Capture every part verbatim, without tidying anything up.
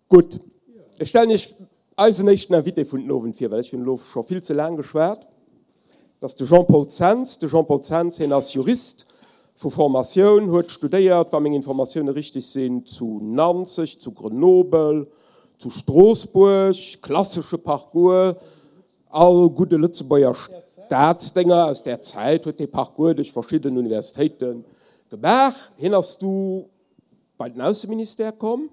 Gutt, ech stellen Iech eisen éischten Invité vun den Owend vir, well ech hunn elo scho vill ze laang geschwat. Dat ass de Jean-Paul Zens. De Jean-Paul Zens, hien ass Jurist vu Formatioun, huet studéiert, wa meng Informatioune richteg sinn, zu Nanzeg, zu Grenoble, zu Stroossbuerg, klassesche Parcours, all gudde Lëtzebuerger Staatsdénger aus där Zäit huet dee Parcours duerch verschidden Universitéite gemaach. Hien ass du bei den Ausseministère komm.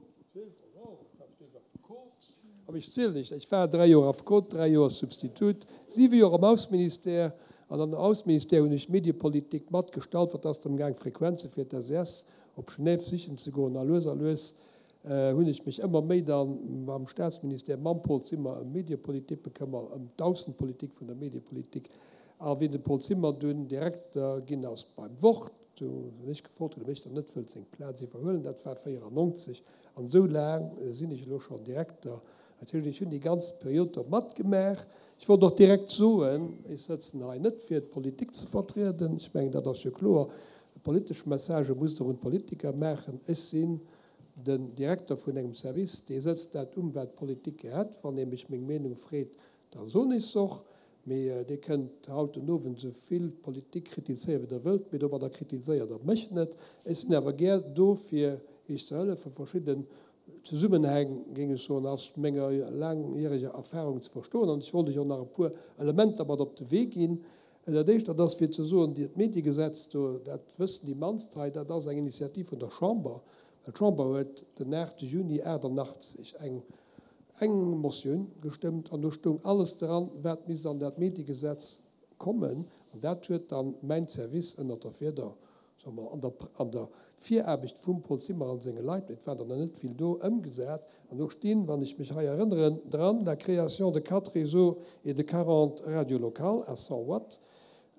Awer ech zielen nicht. Ech war dräi Joer Affekot, dräi Joer Substitut, siwe Joer am Ausseministère. An am Ausseministère hunn ech d'Mediepolitik matgestalt, wat ass drëm gaang, Frequenze fir d'S E S op Genève sichen ze goen. A lues a lues hunn ech mech ëmmer méi da mam Staatsministère, mam Paul Zimmer ëm d'Mediepolitik bekëmmert, ëm d'Aussenpolitik vun der Mediepolitik. A wéi de Paul Zimmer dunn Direkter ginn ass beim Wort, do hunn ech gefrot, ob ech dann net wëllt seng Plaz iwwerhuelen. Dat war véierannonzeg. An esou laang sinn ech elo schonn Direkter. Dat heescht, ech hunn déi ganz Period do matgemaach. Ech wollt och direkt soen, ech sëtzen hei net fir d'Politik ze vertrieden. Ech mengen, dat ass jo kloer. Politesch Messagë musst Der un d'Politiker maachen. Ech sinn den Direkter vun engem Service, dee sëtzt dat um, wat d'Politik gär hätt. Wann ee mech meng Meenung freet, da soen ech se och. Mee Dir kënnt haut den Owend esou vill d'Politik kritizéieren, wéi Der wëllt, mee domadder kritiséiert Der mech net. Ech sinn awer gär do, fir Iech ze hëllefen, verschidden Zesummenhäng, géing ech soen, aus menger laangjäreger Erfahrung ze verstoen. An ech wollt Iech och nach e puer Elementer mat op de Wee ginn. Dat Éischt, dat ass fir ze soen, d'Mediegesetz do, dat wëssen déi mannst hei, dat ass eng Initiativ vun der Chamber. Well d'Chamber huet den aachte Juni aachtannachtzeg eng eng Motioun gestëmmt an do stoung alles dran, wat misst an dat Mediegesetz kommen. An dat huet dann mäin Service ënnert der Fieder, soe mer, an der an der Viraarbecht vum Paul Zimmer an senge Leit, mee et waren der nach net vill do, ëmgesat. An do stinn, wann ech mech hei erënneren, dran, la création de quatre réseaux et de quarante radios locales à cent watts,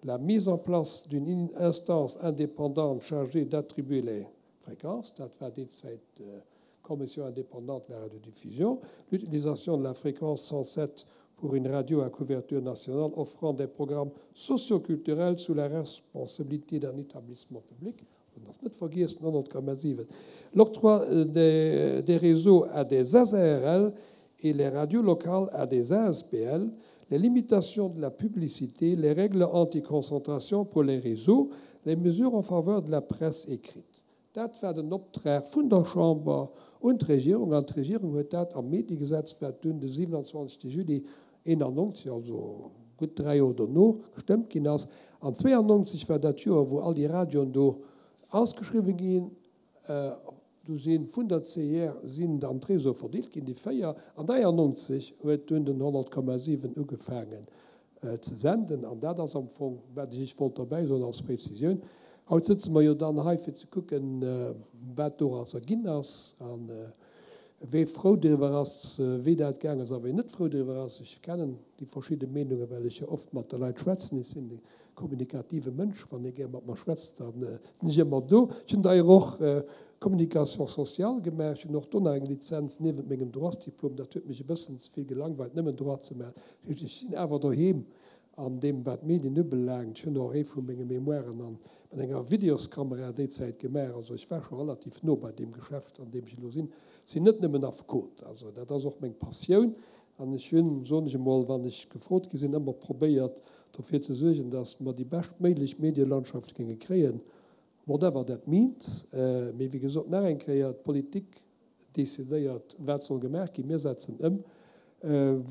la mise en place d'une instance indépendante chargée d'attribuer les fréquences, dat war déi Zäit d'Commission indépendante de la radiodiffusion, l'utilisation de la fréquence cent sept pour une radio à couverture nationale offrant des programmes socioculturels sous la responsabilité d'un établissement public, dat ass net vergiess, honnert Komma siwen, l'octroi des, des réseaux à des S A R L et les radios locales à des A S B L, les limitations de la publicité, les règles anti-concentration pour les réseaux, les mesures en faveur de la presse écrite. Dat war den Optrag vun der Chamber un d'Regierung, an d'Regierung huet dat am Mediegesetz, wat dunn de siewenundzwanzegste Juli eenannonzeg, also gutt dräi Joer dono, gestëmmt ginn ass. An zweeannonzeg war dat Joer, wou all déi Radioen do ausgeschriwwen ginn. Do si vun der C I R sinn dann d'Réseaue verdeelt ginn, déi véier. An dräiannonzeg huet dunn den honnert Komma siwen ugefaangen ze senden. An dat ass am Fong, wat ech Iech wollt derbäi soen als Präzisioun. Haut sëtze mer jo dann hei, fir ze kucken, wat dorausser ginn ass a wee frou driwwer ass, wéi dat gaang ass a wee net frou driwwer ass. Ech kennen déi verschidde Meenungen, well ech jo oft mat de Leit schwätzen. Ech sinn e kommunikative Mënsch. Wann ee gär mat mer schwätzt, da sinn ech ëmmer do. Ech hunn d'ailleurs och Communication sociale gemaach. Ech hunn och do nach eng Lizenz niewent mengem Droitsdiplom. Dat huet mech e bëssen ze vill gelangweilt, nëmmen Droit ze maachen. Dat heescht, ech sinn awer doheem an deem, wat d'Medien ubelaangt. Ech hunn och ee vu menge Mémoiren an mat enger Videoskamera déi Zäit gemaach. Also ech war scho relativ no bei deem Geschäft, an deem ech elo sinn. Ech sinn net nëmmen Affekot, also dat ass och meng Passioun. An ech hunn, soen ech emol, wann ech gefrot gi sinn, ëmmer probéiert, dofir ze suergen, datt mer déi beschtméiglech Medielandschaft géinge kréien, whatever that means. Mee wéi gesot, nach eng Kéier, d'Politik decidéiert, wat soll gemaach ginn. Mir setzen ëm.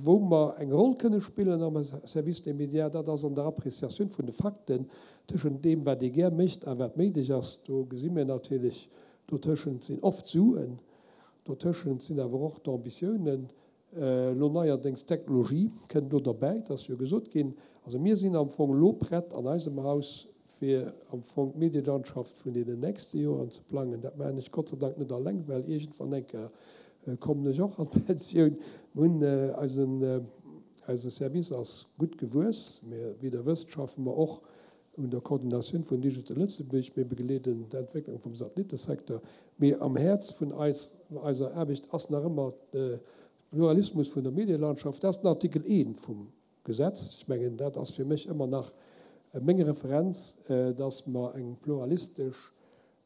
Wou mer eng Roll kënne spillen am Service des médias, dat ass an der Appréciatioun vun de Fakten tëschent deem, wat ee gär mécht a wat méiglech ass. Do gesi mir natierlech, dotëschent sinn oft Suen, dotëschent sinn awer och d'Ambitiounen. Elo neierdéngs d'Technologie kënnt do derbäi, et ass jo gesot ginn. Also mir sinn am Fong elo prett an eisem Haus, fir am Fong d'Medielandschaft vun deenen nächste Joren ze plangen. Dat maachen ech Gott sei Dank net alleng, well iergendwann eng Kéier kommen ech och an d'Pensioun. Mir hunn eisen, eise Service ass gutt gewuess. Mir, wéi Der wësst, schaffe mer och un der Koordinatioun vun Digital Lëtzebuerg. Mir begleeden d'Entwécklung vum Satellitesecteur. Mee am Häerz vun eis, eiser Aarbecht ass nach ëmmer de Pluralismus vun der Medielandschaft. Dat ass den Artikel eent vum Gesetz. Ech mengen, dat ass fir mech ëmmer nach meng Referenz, dass mer eng pluralistesch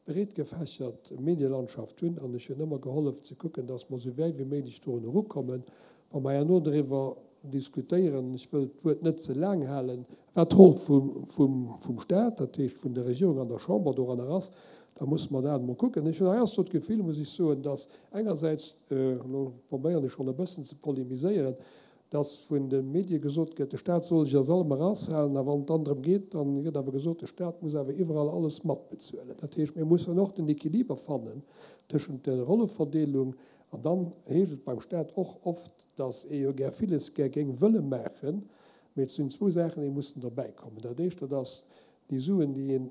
breetgefächert Medielandschaft hunn an ech hunn ëmmer gehollef ze kucken, dass mer esou wäit wéi méiglech dorun erukommen, wa mer herno driwwer diskutéieren, ech wëll d'Wuert net ze laang halen, wat d'Roll vum Stat, dat heescht vun der Regierung an der Chamber doranner ass, da musse mer dat emol kucken. Ech hunn heiansdo d'Gefill, muss ech soen, dass engersäits, elo probéieren ech schonn e bëssen ze polemiséieren, dass vun de Medie gesot gëtt, de Stat soll sech aus allem eraushalen, a wann et dann drëm geet, da gëtt awer gesot, de Stat muss awer iwwerall alles matbezuelen. Dat heescht, mir mussen och den Equiliber fannen tëschent der Rolleverdeelung, an dann heescht et beim Stat och oft, dass ee jo gär villes gär géing wëlle maachen, mee et sinn zwou Saachen, déi mussen derbäikommen. Dat éischt, dat ass déi Suen, déi een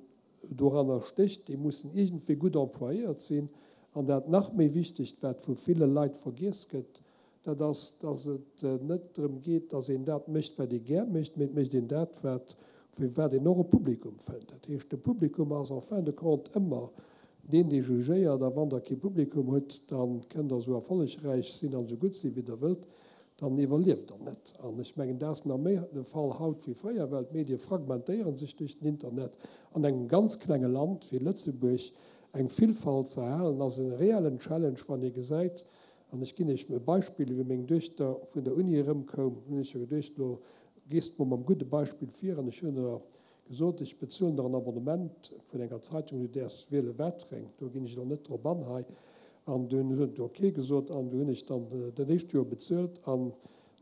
doranner stécht, déi mussen iergendwéi gutt employéiert sinn. An dat nach méi Wichtegt, wat vu ville Leit vergiess gëtt, dat ass, dass et net drëm geet, dass een dat mécht, wat ee gär mécht, mee et mécht een dat, wat, fir wat een och e Publikum fënnt. Dat heescht, de Publikum ass en fin de compte ëmmer deen, dee jugéiert. A wann Der kee Publikum hutt, da kënnt Der esou erfollegräich sinn an esou gutt sinn, wéi Der wëllt, dann iwwerlieft Der net. An ech mengen, dat ass nach méi de Fall haut wéi fréier, well d'Medie fragmentéiere sech duerch den Internet. An engem ganz klenge Land wéi Lëtzebuerg eng Villfalt ze erhalen, ass e reellen Challenge, wann ee gesäit, An ech ginn Iech e Beispill, Wéi meng Duechter vun der Uni erëmkoum, hunn ech jo geduecht, elo gees de mol mam gudde Beispill vir. An ech hunn der gesot, ech bezuelen der en Abonnement vun enger Zeitung, du däerfs wiele watereng, do ginn ech elo net drop an hei. An dunn huet et ok gesot an du hunn ech dann dat éischt Joer bezuelt. An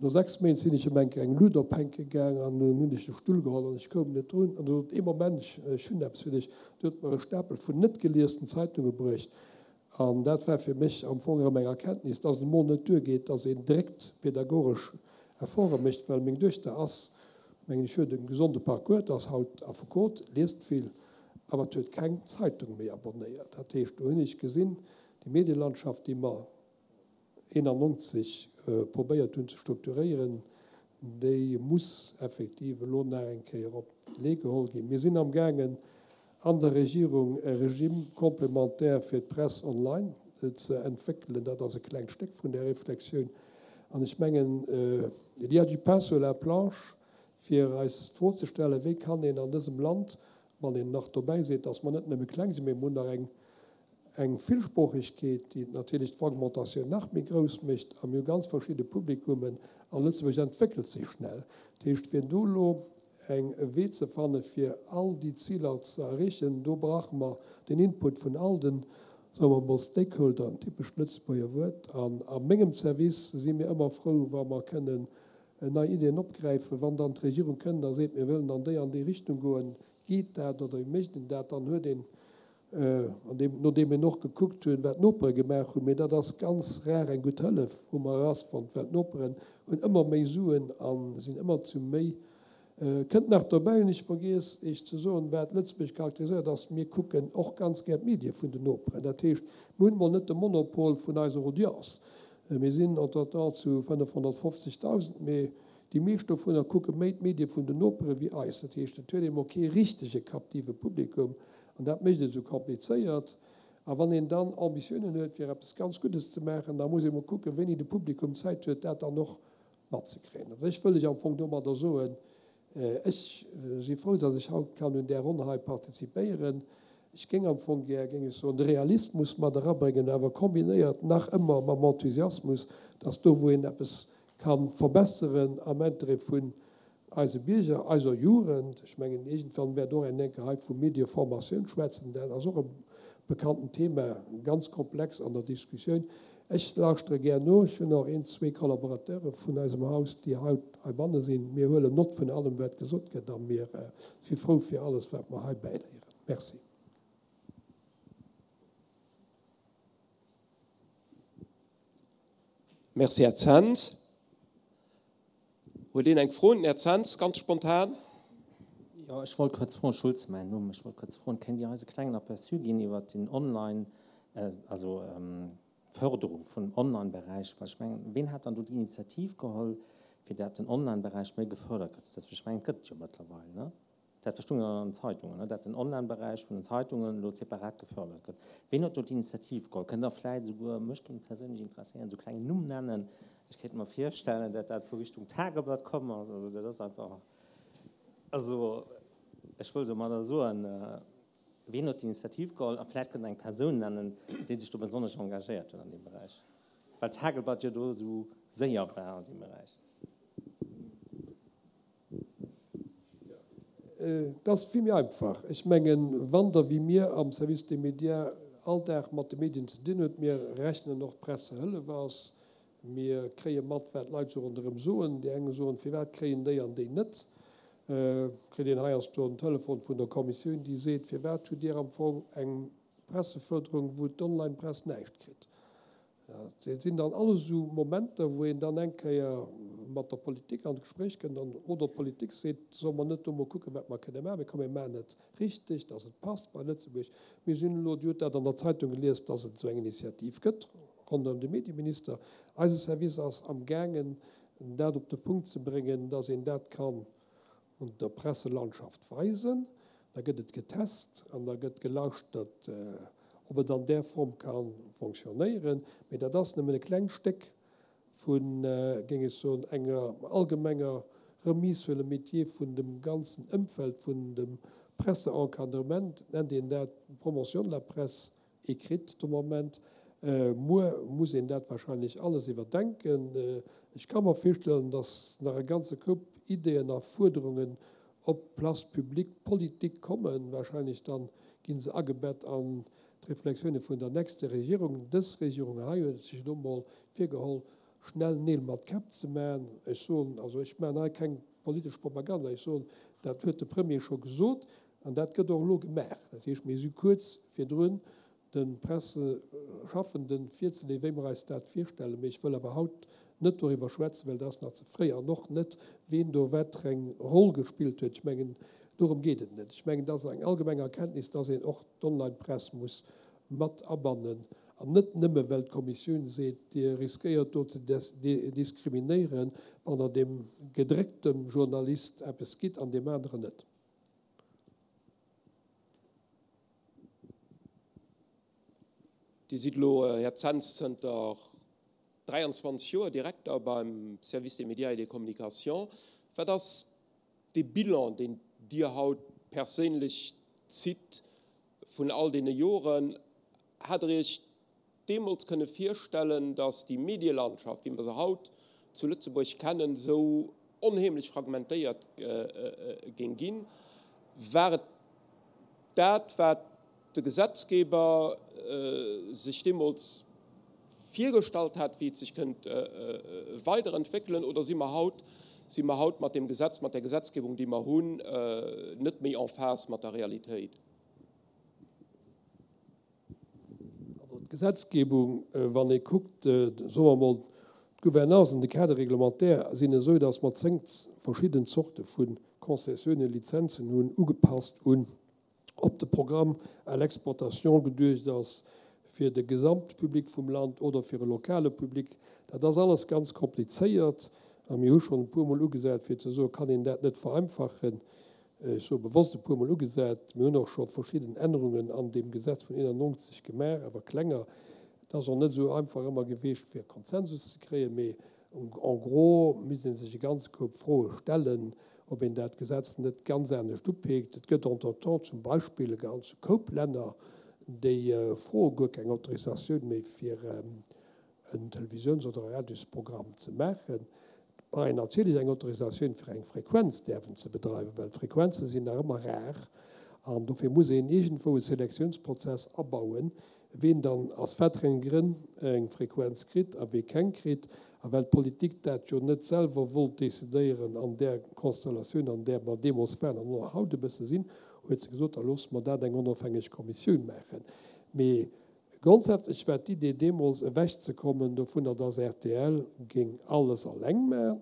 no sechs Méint sinn ech ëm eng Kéier eng Lut ophänke gaang an dunn hunn ech de Stull geholl an ech koum net drun. An du sot ee Moment, ech hunn eppes fir dech. Du huet mer e Stapel vun net geliesten Zeitunge bruecht. An dat war fir mech am Fong erëm eng Erkenntnis, dass et emol net duergeet, dass een dréckt pedagogesch Efforte mécht, well meng Duechter ass, mengen ech, huet e gesonde Parcours, ass haut Affekot, liest vill, awer huet keng Zeitung méi abonnéiert. Dat heescht, do hunn ech gesinn, déi Medielandschaft, déi mer eenannonzeg probéiert hunn ze strukturéieren, déi muss effektiv elo nach eng Kéier op d'Lee geholl ginn. Mir sinn amgaangen, an der Regierung e Régime complémentaire fir d'Press online ze entwéckelen. Dat ass e klengt Stéck vun där Reflexioun. An ech mengen, il y a du pain sur la planche, fir eis d'Fro ze stellen, Wéi kann een an dësem Land, wann een nach dobäi seet, dass mer net nëmme kleng sinn, mee mer hunn nach eng eng Villsproochegkeet, déi natierlech d'Fragmentatioun nach méi grouss mécht, a mir hu ganz verschidde Publikummen, a Lëtzebuerg entwéckelt sech schnell. Dat heescht, fir do elo eng e Wee ze fanne fir all déi Ziler ze erreechen, do brauche mer den Input vun all den, soe mer emol, Stakeholder, en typescht Lëtzebuerger Wuert. An a mengem Service si mir ëmmer frou, wa mer kënnen nei Ideeën opgräifen. Wann dann d'Regierung kënnt a seet, mir wëllen an déi an déi Richtung goen, geet dat oder wéi mécht een dat, dann huet een, an deem, nodeem een och gekuckt hunn, wat d'Nopere gemaach hunn, mee dat ass ganz rar eng gutt Hëllef, hu mer erausfonnt, well d'Noperen hunn ëmmer méi Suen a sinn ëmmer zu méi. Kënnt nach dobäi, hunn ech vergiess Iech ze soen, wat Lëtzebuerg charakteriséiert, ass, mir kucken och ganz gär d'Medie vun den Noperen. Dat heescht, mir hunn emol net de Monopol vun eiser Audience. Mir sinn entretemps zu fënnefhonnertfofzegdausend, mee déi meescht dovunner kucke méi d'Medie vun den Nopere wéi eis. Dat heescht, et huet ee mol kee richtege captive Publikum an dat mécht et esou komplizéiert. A wann een dann Ambitiounen huet, fir eppes ganz Guddes ze maachen, da muss ee mol kucken, wéini de Publikum Zäit huet, dat dann och matzekréien. An ech wëll lech am Fong domadder soen, ech si frou, datt ech haut kann un där Ronn hei participéieren. Ech géing am Fong gär, géing ech soen, de Realismus mat erabréngen, awer kombinéiert nach ëmmer mam Enthusiasmus, datt do, wou een eppes ka verbesseren am Interêt vun eise Bierger, eiser Jugend, ech mengen, iergendwann wäert och een enke hei vu Medieformatioun schwätzen, dat ass och e bekannten Thema, ganz komplex an der Diskussioun. Ech lauschtere gär no. Ech hunn och een, zwee Collaborateure vun eisem Haus, déi haut heibanne sinn. Mir huelen Nott vun allem, wat gesot gëtt, a mir si frou fir alles, wat mer hei bäiléieren. Merci. Merci, Här Zens. Huet een eng Fro un den Här Zens, ganz spontan? Jo, ech wollt kuerz froen, Schulze mäin Numm, ech wollt kuerz froen, kéint Dir eis e klengen Aperçu ginn iwwert den Online, also d'Förderung vun Online-Beräich? Well ech mengen, ween hat dann do d'Initiativ geholl, fir dat den Online-Beräich méi gefördert gëtt? Dat, ech mengen, et gëtt et jo mëttlerweil, ne? Dat verstoung ech an den Zeitungen, ne, dat den Online-Beräich vun den Zeitungen elo separat gefördert gëtt. Ween huet do d'Initiativ geholl? Kënnt Der vläit esouguer, mech géing perséinlech interesséieren, esou klengen Numm nennen? Ech kéint mer virstellen, dat dat vu Richtung Tageblatt komm ass. Also dat ass einfach, also ech wëll domadder soen, Wien huet d'Initiativ geholl? A vläicht kënnt Der eng Persoun nennen, déi sech do besonnesch engagéiert huet an deem Beräich, well d'Tageblatt jo do esou séier war an deem Beräich. Et ass vill méi einfach. Ech mengen, wann Der wéi mir am Service des médias all Dag mat de Medien ze dinn hutt, mir rechnen och d'Pressehëllef aus, mir kréie mat, wat d'Leit sou ronderëm soen. Déi eng soen, firwat kréien déi an déi net? Kritt een heiansdo en Telefon vun der Kommissioun, déi seet, firwat hutt Dir am Fong eng Pressefërderung, wou d'Online-Press näischt kritt? Dat sinn dann alles esou Momenter, wou een dann eng Kéier mat der Politik an d'Gespréich kënnt an oder d'Politik seet, solle mer net do mol kucken, wat mer kënne maachen, mee komm mir maachen et richteg, dass et passt bei Lëtzebuerg. Mir sinn elo, Dir hutt dat an der Zeitung gelies, dass et esou eng Initiativ gëtt ronderëm de Medieminister. Eise Service ass amgaangen, dat op de Punkt ze bréngen, dass een dat kann un der Presselandschaft weisen. Da gëtt et getest an da gëtt gelauschtert, ob et an där Form ka fonctionnéieren. Mee dat ass nëmmen e klengt Stéck vun, géing ech soen, enger allgemenger Remise sur le métier vun dem ganzen Ëmfeld vun dem Presseencadrement, nennt een dat, Promotion de la presse écrite de Moment. Muer muss een dat wahrscheinlech alles iwwerdenken. Ech ka mer virstellen, datt nach e ganze Koup Ideeën a Fuerderungen op d'Place publique politique kommen. Wahrscheinlech dann gi se agebett an d'Reflexioune vun der nächster Regierung. Dës Regierung hei huet sech elo mol virgeholl, schnell Neel mat Käpp ze maachen. Ech soen, also ech maachen hei keng politesch Propaganda, ech soen, dat huet de Premier scho gesot an dat gëtt och elo gemaach. Dat heescht, mir si kuerz virdrun, de Presseschaffenden virzeleeën, wéi mer eis dat virstellen. Mee ech wëll awer haut net doriwwer schwätzen, well dat ass nach ze fréi, an och net, ween do wat fir eng Roll gespillt huet. Ech mengen, dorëm geet et net. Ech mengen, et ass eng allgemeng Erkenntnis, dass een och d'Onlinepress muss mat abannen, an net nëmme well d'Kommissioun seet, Dir riskéiert do ze diskriminéieren, wann Der deem gedréckte Journalist eppes gitt an deem aneren net. Dir sidd elo, Här Zens, zënter dräianzwanzeg Joer Direkter beim Service des médias et des communications. Wat ass dee Bilan, deen Dir haut perséinlech zitt vun all deene Joren? Hat Der Iech deemools kënne virstellen, datt déi Medielandschaft, wéi mer se haut zu Lëtzebuerg kennen, esou onheemlech fragmentéiert géing ginn? War et dat, wat de Gesetzgeber sech deemools virgestallt hat, wéi et sech kënnt weiderentwéckelen, oder si mer haut, si mer haut mat deem Gesetz, mat där Gesetzgebung, déi mer hunn, net méi en phase mat der Realitéit? Also d'Gesetzgebung, wann ee kuckt, soe mer emol, d'Gouvernance an de Cadre réglementaire sinn esou, datt mer zéng verschidden Zorte vu Concessiounen, Lizenzen hunn, ugepasst un ob de Programme à l'exportation geduecht ass fir de Gesamtpublic vum Land oder fir e lokale Public. Dat ass alles ganz komplizéiert a mir hu schonn e puermol ugesat, fir ze soen, kann een dat net vereinfachen. Ech soe bewosst e puermol ugesat. Mir hunn och scho verschidden Ännerungen an deem Gesetz vun eenannonzeg gemaach, awer klenger. Et ass och net esou einfach ëmmer gewiescht, fir Konsensus ze kréien, mee en gros misst ee sech e ganze Koup Froe stellen, ob een dat Gesetz net ganz anescht upeekt. Et gëtt entretemps zum Beispill e ganze Koup Länner, déi froe guer keng Autorisatioun méi fir en Televisiouns oder e Radiosprogramm ze maachen. Et brauch een natierlech eng Autorisatioun fir eng Frequenz däerfen ze bedreiwen, well d'Frequenze sinn nach ëmmer rar an dofir muss een iergendwou e Selektiounsprozess abauen, ween dann aus wat fir enge Grënn eng Frequenz kritt a wee keng kritt. A well d'Politik dat jo net selwer wollt decidéieren an där Konstellatioun, an där mer deemools waren an och haut e bësse sinn, huet se gesot, da loosse mer dat eng onofhängeg Kommissioun maachen. Mee grondsätzlech war d'Idee deemools ewechzekommen dovunner, dass rtl géing alles alleng maachen.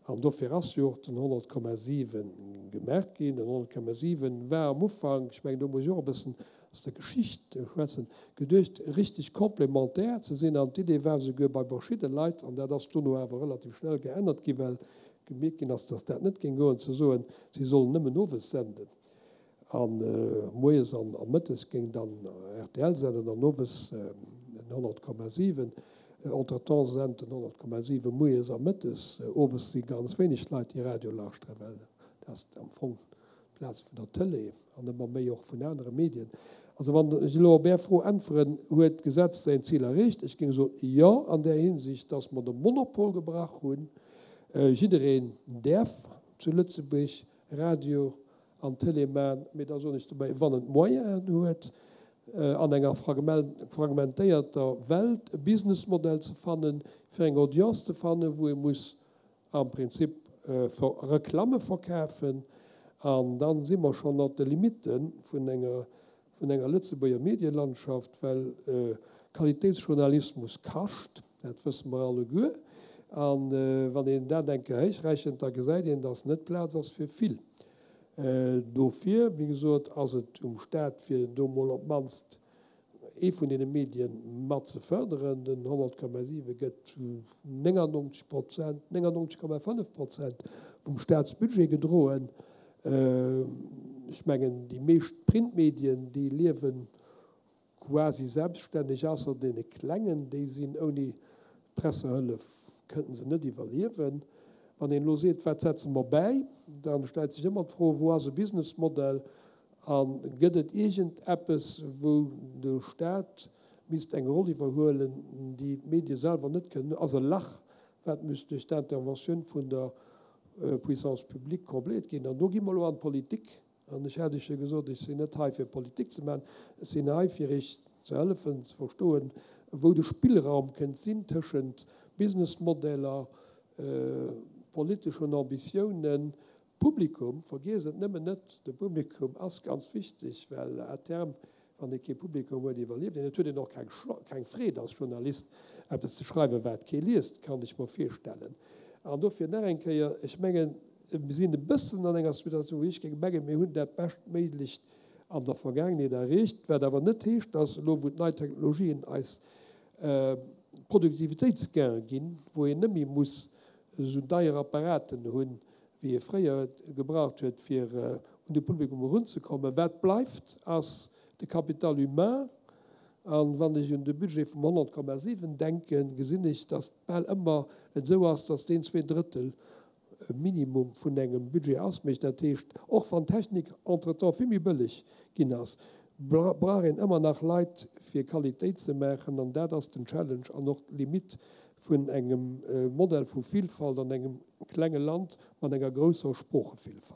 An dofir ass jo och den honnert Komma siwen gemaach ginn. Den honnert Komma siwen war am Ufank, ech mengen, do muss ech och e bëssen aus der Geschicht schwätzen, geduecht, richtig complémentaire ze sinn. An d'Idee war esouguer bei verschidde Leit, an dat ass dono awer relativ schnell geännert ginn, well gemierkt ginn ass, dass dat net géing goen, ze soen, si sollen nëmmen owes senden a moies an mëttes géing dann rtl senden an owes den honnert Komma siwen. Entretemps sent den honnert Komma siwen moies a mëttes. Owes si ganz wéineg Leit, déi Radio lauschteren, well dat ass am Fong Plaz vun der Tëlee an ëmmer méi och vun anere Medien. Also wann ech elo op Är Fro äntweren, Huet d'Gesetz säin Zil erreecht? Ech géing soen, Jo, an där Hinsicht, dass mer de Monopol gebrach hunn. Jiddereen däerf zu Lëtzebuerg Radio an Tëlee maachen, mee da soen ech dobäi, wann en d'Moyenen huet, an enger fragmentéierter Welt e Businessmodell ze fannen, fir eng Audience ze fannen, wou ee muss am Prinzip Reklamme verkafen. An da si mer schonn at de Limitte vun enger vun enger Lëtzebuerger Medielandschaft, well Qualitéitsjournalismus kascht, dat wësse mer alleguer. A wann een dat eng Kéier héichrechent, da gesäit een, dass net Plaz ass fir vill. Dofir, wéi gesot, ass et um Staat, fir do mol op d'mannst ee vun deene Medien mat ze fërderen. Den honnert Komma siwe gëtt zu néngannonzeg Prozent, néngannonzeg Komma fënnef Prozent vum Staatsbudget gedroen. Ech mengen, déi meescht Printmedien, déi liewe quasi selbststänneg, ausser deene klengen, déi sinn ouni Pressehëllef, kënnten se net iwwerliewen. Wann een elo seet, wat setze mer bäi, da stellt sech ëmmer d'Fro, wou ass e Businessmodell a gëtt et iergend eppes, wou de Staat misst eng Roll iwwerhuelen, déi d'Medie selwer net kënnen, ass e Lach, wat müsst duerch d'Interventioun vun der Puissance publique combléiert ginn. An do gi mer elo an d'Politik. An ech hat Iech jo gesot, ech sinn net hei fir Politik ze maachen, ech sinn hei fir Iech ze hëllefen ze verstoen, wou de Spillraum kënnt sinn tëschent Businessmodeller, politeschen Ambitiounen, Publikum. Vergiesst et nëmmen net, de Publikum ass ganz wichteg, well à terme, wann ee kee Publikum huet, iwwerlieft een. Et huet een och keng Freed als Journalist, eppes ze schreiwen, wat kee liest, kann ech mer virstellen. An dofir nach eng Kéier, ech mengen, mir sinn e bëssen an enger Situatioun, wou ech géing mengen, mir hunn dat Beschtméiglecht an der Vergaangenheet erreecht, wat awer net heescht, dass elo, wou d'nei Technologien eis Produktivitéitsgainen ginn, wou een net méi muss esou deier Apparaten hunn, wéi ee fréier gebraucht huet, fir un de Publikum erunzekommen. Wat bleift, ass de Capital humain. A wann ech un de Budget vum honnert Komma siwen denken, gesinn ech, datt bal ëmmer et esou ass, datt deen zwee Drëttel minimum vun engem Budget ausmécht. Dat heescht, och wann d'Technik entretemps vill méi bëlleg ginn ass, brauch een ëmmer nach Leit, fir Qualitéit ze maachen. An dat ass den Challenge an och d'Limite vun engem Modell vu Vilfalt an engem klenge Land mat enger grousser Sproochevillfalt.